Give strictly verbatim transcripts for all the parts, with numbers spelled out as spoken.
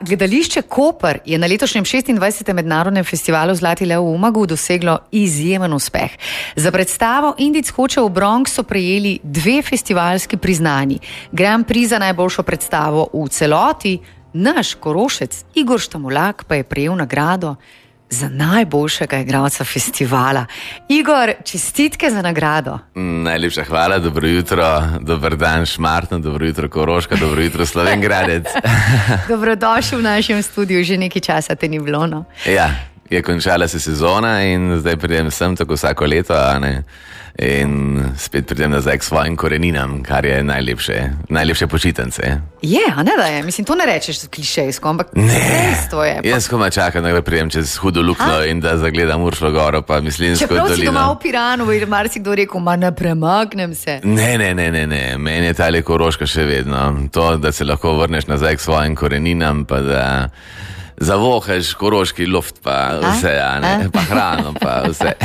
Gledališče Koper je na letošnjem šestindvajsetem mednarodnem festivalu Zlati lev v Umagu doseglo izjemen uspeh. Za predstavo Indic hoče v Bronx so prejeli dve festivalski priznanji. Grand Prix za najboljšo predstavo v celoti, naš Korošec Igor Štamolak pa je prejel nagrado za najboljšega igralca festivala. Igor, čestitke za nagrado. Najlepša hvala, dobro jutro, dober dan Šmartno, dobro jutro Koroška, dobro jutro Slovenj Gradec. Dobrodošel v našem studiu, že nekaj časa te ni bilo, no? Ja, je končala se sezona in zdaj pridem sem tako vsako leto, a ne? In spet pridem nazaj k svojim koreninam, kar je najlepše, najlepše počitnice. Je, a ne da je, mislim, to ne rečeš klišejsko, ampak ne, dejstvo je. Jaz koma čakam, da pridem čez Hudo luknjo in da zagledam Uršlo goro, pa Mislinjsko dolino. Čeprav si doma v Piranu, bi marsikdo rekel, ma ne premaknem se. Ne, ne, ne, ne, ne, meni je tale Koroška še vedno. To, da se lahko vrneš nazaj k svojim koreninam, pa da zavohaš koroški luft, pa vse, a ne, a? Pa hrano, pa vse.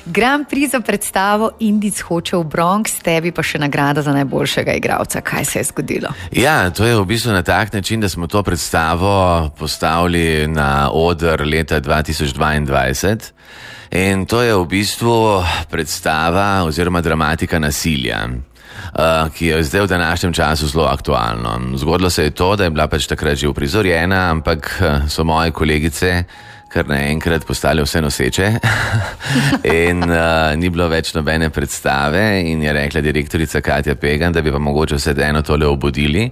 Grand Prix za predstavo Indic hoče v Bronx, tebi pa še nagrada za najboljšega igralca. Kaj se je zgodilo? Ja, to je v bistvu na tak način, da smo to predstavo postavili na oder leta dva tisoč dvaindvajset in to je v bistvu predstava oziroma dramatika nasilja, Uh, ki je zdaj v današnjem času zelo aktualno. Zgodilo se je to, da je bila pač takrat že uprizorjena, ampak so moje kolegice kar naenkrat postale vse noseče in uh, ni bilo več nobene predstave in je rekla direktorica Katja Pegan, da bi pa mogoče vse eno tole obudili,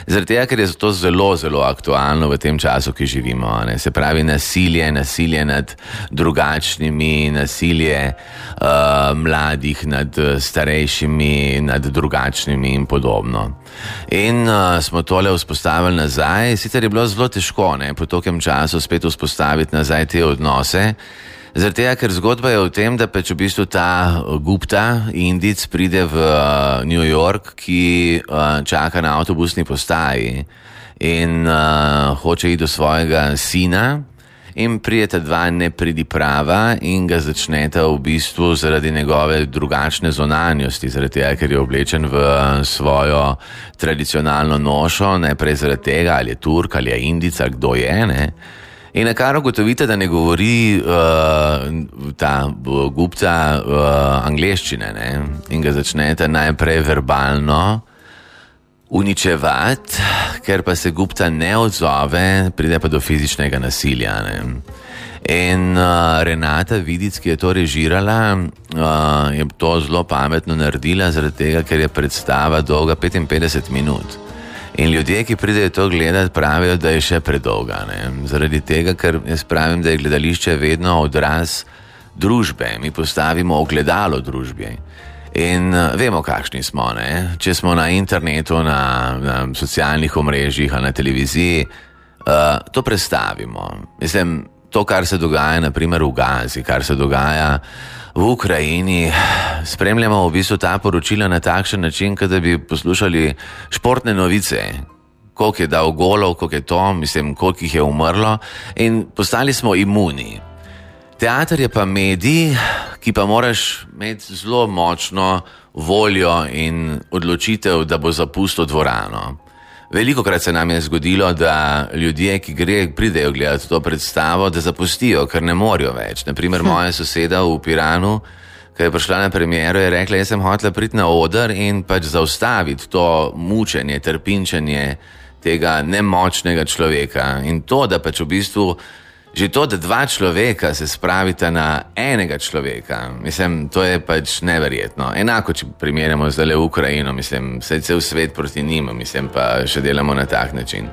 zaradi tega, ker je to zelo, zelo aktualno v tem času, ki živimo, ne? Se pravi nasilje, nasilje nad drugačnimi, nasilje uh, mladih nad starejšimi, nad drugačnimi in podobno. In uh, smo tole vzpostavili nazaj, sicer je bilo zelo težko, ne, po tokem času spet vzpostaviti nazaj te odnose, zaradi tega, ker zgodba je v tem, da pač v bistvu ta Gupta, Indic, pride v uh, New York, ki uh, čaka na avtobusni postaji in uh, hoče iti do svojega sina in prijeta dva nepridiprava in ga začneta v bistvu zaradi njegove drugačne zonanjosti, zaradi tega, ker je oblečen v svojo tradicionalno nošo, najprej zaradi tega, ali je Turk, ali je Indica, kdo je, ne. In na kar ugotovite, da ne govori uh, ta Gupta uh, angleščine, ne, in ga začnete najprej verbalno uničevati, ker pa se Gupta ne odzove, pride pa do fizičnega nasilja, ne. In uh, Renata Vidic, ki je to režirala, uh, je to zelo pametno naredila, zaradi tega, ker je predstava dolga petinpetdeset minut. In ljudje, ki pridejo to gledati, pravijo, da je še predolga, ne? Zaradi tega, ker jaz pravim, da je gledališče vedno odraz družbe, mi postavimo ogledalo družbi. In uh, vemo, kakšni smo, ne? Če smo na internetu, na, na socialnih omrežjih, na televiziji, uh, to predstavimo. Mislim, to, kar se dogaja naprimer v Gazi, kar se dogaja v Ukrajini, spremljamo v bistvu ta poročila na takšen način, kot da bi poslušali športne novice, koliko je dal golov, koliko je to, mislim, koliko jih je umrlo in postali smo imuni. Teater je pa medij, ki pa moraš imeti zelo močno voljo in odločitev, da bo zapustil dvorano. Velikokrat se nam je zgodilo, da ljudje, ki gre, pridejo gledati to predstavo, da zapustijo, ker ne morajo več. Naprimer, moja soseda v Piranu, ki je prišla na premiero, je rekla, jaz sem hotela priti na oder in pač zaustaviti to mučenje, trpinčenje tega nemočnega človeka. In to, da pač v bistvu že to, da dva človeka se spravita na enega človeka, mislim, to je pač neverjetno. Enako, če primerjamo zdaj v Ukrajino, mislim, vse cel svet proti njima, mislim, pa še delamo na tak način.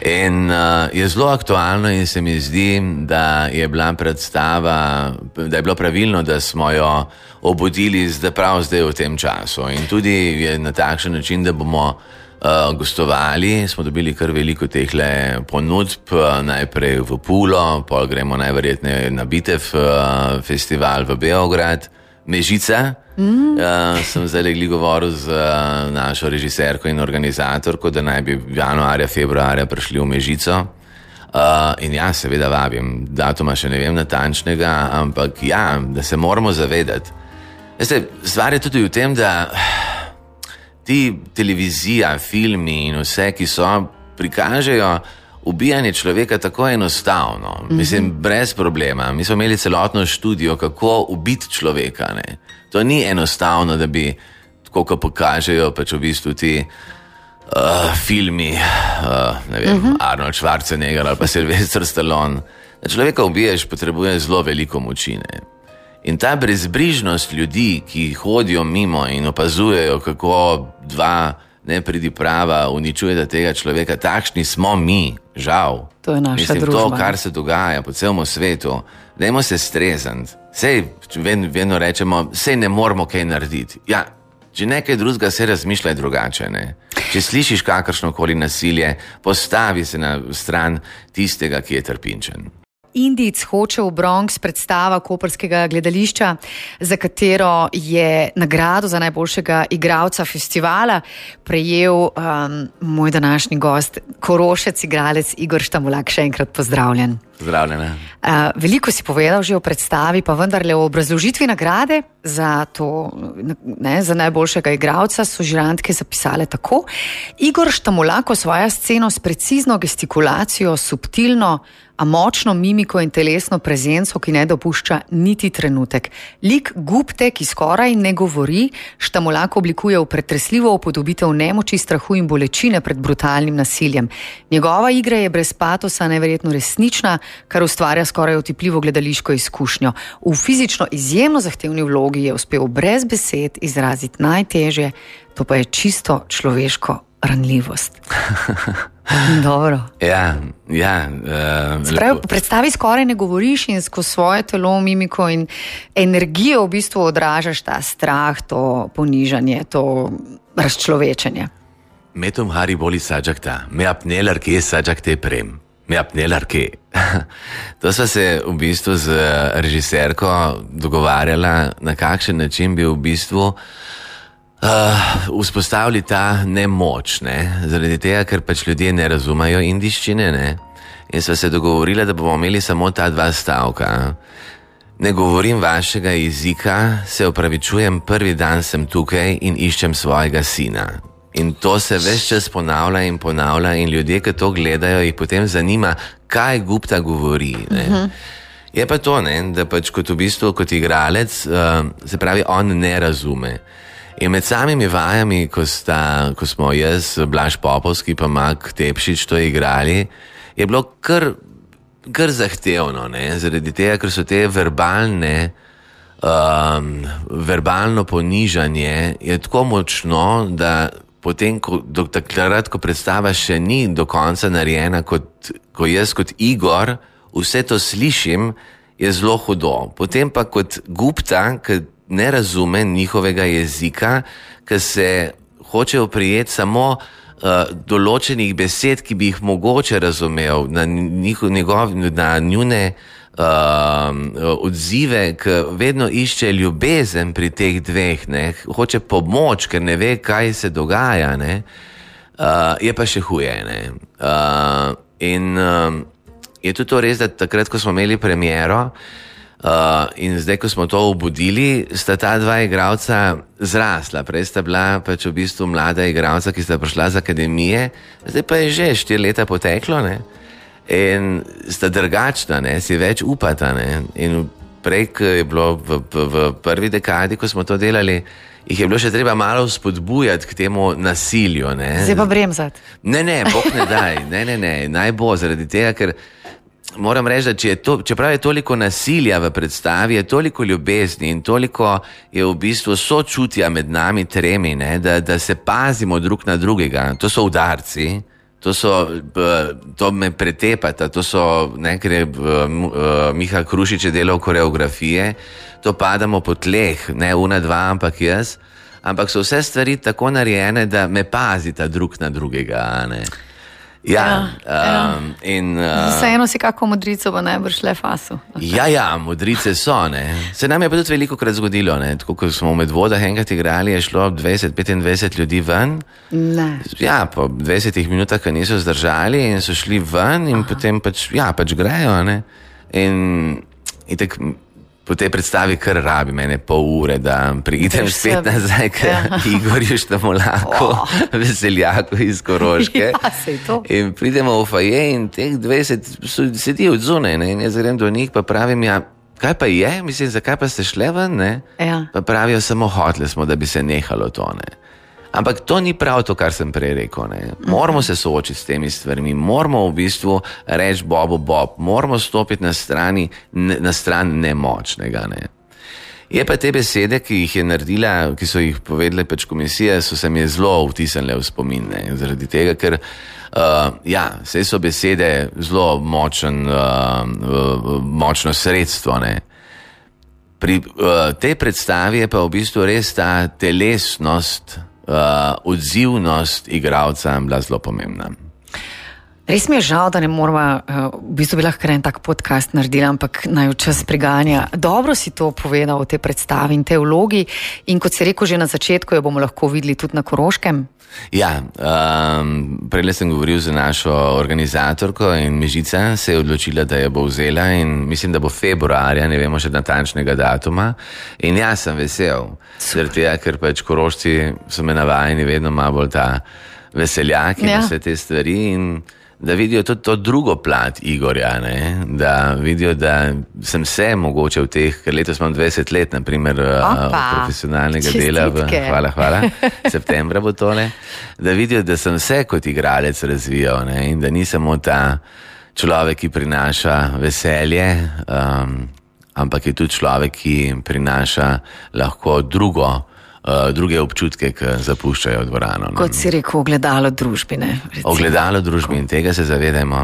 In uh, je zelo aktualno in se mi zdi, da je bila predstava, da je bilo pravilno, da smo jo obudili zdaj prav zdaj v tem času. In tudi je na takšen način, da bomo Uh, gostovali, smo dobili kar veliko tehle ponudb, uh, najprej v Pulo, pol gremo najverjetneje na Bitev uh, festival v Beograd, Mežica. Mm. Uh, sem zdaj legli govoril z uh, našo režiserko in organizatorko, da naj bi januarja, februarja prišli v Mežico. Uh, in ja, seveda vabim, datuma še ne vem natančnega, ampak ja, da se moramo zavedati. Veste, stvar je tudi v tem, da ti televizija, filmi in vse, ki so prikažejo ubijanje človeka tako enostavno, mm-hmm. mislim, brez problema. Mi smo imeli celotno študijo, kako ubiti človeka. Ne? To ni enostavno, da bi, tako kot pokažejo pač v bistvu ti uh, filmi, uh, ne vem, mm-hmm. Arnold Schwarzenegger ali pa Sylvester Stallone. Da človeka ubiješ, potrebuje zelo veliko moči. Ne? In ta brezbrižnost ljudi, ki hodijo mimo in opazujejo, kako dva nepridiprava uničujeta tega človeka, takšni smo mi, žal. To je naša Mislim, družba. To, kar se dogaja po celem svetu, dajmo se strezati. Sej, vedno rečemo, sej ne moramo kaj narediti. Ja, če nekaj drugega, se razmišljaj drugače. Ne? Če slišiš kakršnokoli nasilje, postavi se na stran tistega, ki je trpinčen. Indijc hoče v Bronx, predstava koprskega gledališča, za katero je nagrado za najboljšega igralca festivala prejel um, moj današnji gost, Korošec, igralec Igor Štamulak. Še enkrat pozdravljen. Pozdravljena. Uh, veliko si povedal že o predstavi, pa vendarle o obrazložitvi nagrade za, to, ne, za najboljšega igralca so žirantke zapisale tako. Igor Štamulak osvaja sceno s precizno gestikulacijo, subtilno, a močno mimiko in telesno prezenco, ki ne dopušča niti trenutek. Lik Gupte, ki skoraj ne govori, Štamulak oblikuje v pretresljivo upodobitev nemoči, strahu in bolečine pred brutalnim nasiljem. Njegova igra je brez patosa neverjetno resnična, kar ustvarja skoraj otipljivo gledališko izkušnjo. V fizično izjemno zahtevni vlogi je uspel brez besed izraziti najtežje, to pa je čisto človeško ranljivost. Dobro. Ja, ja. Uh, Spravi, v predstavi skoraj ne govoriš in skozi svoje telo, mimiko in energijo v bistvu odražaš ta strah, to ponižanje, to razčlovečenje. Me tumhari boli sajakta, me apne larke sajakte prem. Me apne larke. To sva se v bistvu z režiserko dogovarjala, na kakšen način bi v bistvu Uh, vzpostavili ta nemoč, ne? Zaradi tega, ker pač ljudje ne razumejo indiščine, ne? In sva se dogovorila, da bomo imeli samo ta dva stavka. Ne govorim vašega jezika, se opravičujem, prvi dan sem tukaj in iščem svojega sina. In to se ves čas ponavlja in ponavlja in ljudje, ki to gledajo, jih potem zanima, kaj Gupta govori, ne? Uh-huh. Je pa to, ne? Da pač kot v bistvu, kot igralec, uh, se pravi, on ne razume. In med samimi vajami, ko, sta, ko smo jaz, Blaž Popovski pa Mak Tepšič to igrali, je bilo kar, kar zahtevno, ne? Zaradi tega, ker so te verbalne, um, verbalno ponižanje je tako močno, da potem, ko, do takrat, ko predstava še ni do konca narejena, kot, ko jaz kot Igor vse to slišim, je zelo hudo. Potem pa kot Gupta, ki ne razume njihovega jezika, ker se hoče oprijeti samo uh, določenih besed, ki bi jih mogoče razumel na, njihov, njegov, na njune uh, odzive, ki vedno išče ljubezen pri teh dveh, ne? Hoče pomoč, ker ne ve, kaj se dogaja, ne? Uh, je pa še huje. Ne? Uh, in uh, je tudi to res, da takrat, ko smo imeli premiero, Uh, in zdaj, ko smo to obudili, sta ta dva igralca zrasla. Prej sta bila pač v bistvu mlada igralca, ki sta prišla z akademije, zdaj pa je že štiri leta poteklo, ne? In sta drugačna, ne? Si več upata, ne? In prej, ko je bilo v, v, v prvi dekadi, ko smo to delali, jih je bilo še treba malo spodbujati k temu nasilju, ne? Zdaj pa bremzati. Ne, ne, Bog ne daj, ne, ne, ne, naj bo, zaradi tega, ker moram reči, da če je to, čeprav je toliko nasilja v predstavi, je toliko ljubezni in toliko je v bistvu sočutja med nami tremi, ne, da, da se pazimo drug na drugega. To so udarci, to, so, to me pretepata, to so, ne, ker je Miha Krušič je delal koreografije, to padamo po tleh, ne una dva, ampak jaz, ampak so vse stvari tako narejene, da me pazita drug na drugega, ne. Ja, ja, um, ja. In uh, vseeno si kako modrico pa najbrž le fasu. Okay. Ja, ja, modrice so, ne. Se nam je pa tudi veliko krat zgodilo, ne. Tako, ko smo v Medvodah enkrat igrali, je šlo dvajset do petindvajset ljudi ven. Ne. Ja, po dvajsetih minutah, ko niso zdržali in so šli ven in Aha. potem pač, ja, pač grejo, ne. In, in tak, po tej predstavi kar rabi mene pol ure, da pridem spet nazaj k ja. Igorju Štamolaku, oh. veseljaku iz Koroške. Ja, in pridemo v foje in teh dvajset sedijo od zunaj, ne? In jaz grem do njih, pa pravim, ja, kaj pa je, mislim, zakaj pa ste šle ven, ne? Ja. Pa pravijo, samo hoteli smo, da bi se nehalo to, ne. Ampak to ni prav to, kar sem prej rekel, ne. Moramo se soočiti s temi stvarmi, moramo v bistvu reči Bobu Bob, moramo stopiti na strani, na stran nemočnega, ne. Je pa te besede, ki jih je naredila, ki so jih povedali pač komisije, so se mi zelo vtisnile v spomin, ne. Zaradi tega, ker uh, ja, saj so besede zelo močen, uh, uh, močno sredstvo, ne. Pri uh, tej predstavi je pa v bistvu res ta telesnost, Uh, odzivnost igralca bila zelo pomembna. Res mi je žal, da ne moramo, uh, v bistvu bi lahko en tak podcast naredila, ampak naj v čas priganja. Dobro si to povedal o tej predstavi in tej vlogi in kot si rekel že na začetku, jo bomo lahko videli tudi na Koroškem. Ja, um, prej sem govoril z našo organizatorko in Mežica se je odločila, da jo bo vzela in mislim, da bo februarja, ne vemo še natančnega datuma. In jaz sem vesel, zaradi tega, ker pač Korošci so me navajeni vedno malo bolj ta veseljak in ja. Vse te stvari in da vidijo tudi to drugo plat Igorja, ne? Da vidijo, da sem se mogoče v teh, ker letos imam dvajset let, naprimer, profesionalnega Čestitke. dela, v, hvala, hvala, septembra bo tole, da vidijo, da sem se kot igralec razvijal, ne? In da ni samo ta človek, ki prinaša veselje, um, ampak je tudi človek, ki prinaša lahko drugo, Uh, druge občutke, ki zapuščajo dvorano. Kot si rekel, ogledalo družbine. Ogledalo družbi in tega se zavedajmo.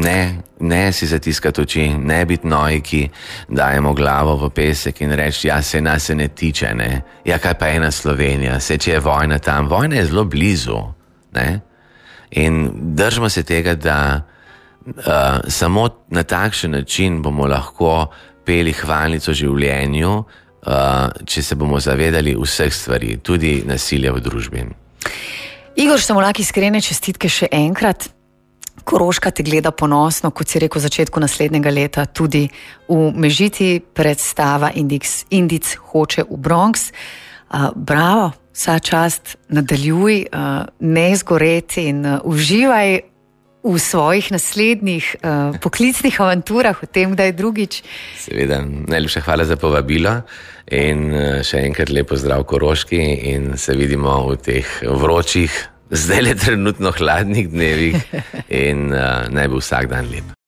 Ne, ne si zatiskati oči, ne biti noji, ki dajemo glavo v pesek in reči, ja, se nas se ne tiče, ne. Ja, kaj pa ena Slovenija, se če je vojna tam, vojna je zelo blizu, ne. In držimo se tega, da uh, samo na takšen način bomo lahko peli hvalnico življenju, Uh, če se bomo zavedali vseh stvari, tudi nasilja v družbi. Igor Štamolak, iskrene čestitke še enkrat. Koroška te gleda ponosno, kot si rekel v začetku naslednjega leta, tudi v Mežiti predstava Indic, Indic hoče v Bronx. Uh, bravo, vsa čast, nadaljuj, uh, ne izgoreti in uh, uživaj v svojih naslednjih uh, poklicnih avanturah, v tem, da je drugič. Seveda, najlepša hvala za povabilo in uh, še enkrat lepo zdrav Koroški in se vidimo v teh vročih, zdaj le trenutno hladnih dnevih in uh, naj bo vsak dan lep.